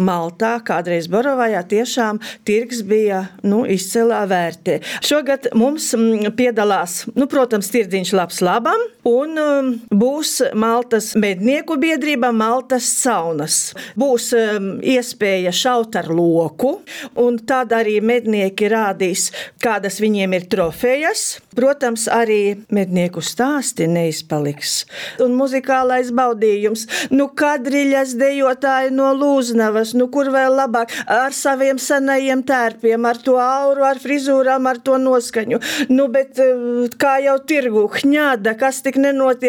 Maltā, kādreiz Borovajā, tiešām tirgs bija izcilā vērtē. Šogad mums piedalās, protams, tirdziņš labs labam, un būs Maltas mednieku biedrība Maltas saunas. Būs iespēja šaut ar loku, un tad arī mednieki rādīs, kādas viņiem ir trofejas. Protams, arī mednieku stāsti neizpaliks. Un muzikālais baudījums. Kadriļas dejotāji no Lūznavas, kur vēl labāk, ar saviem senajiem tērpiem, ar to auru, ar frizūrām, ar to noskaņu. Bet kā jau tirgu, hņāda, kas tik nenotiek.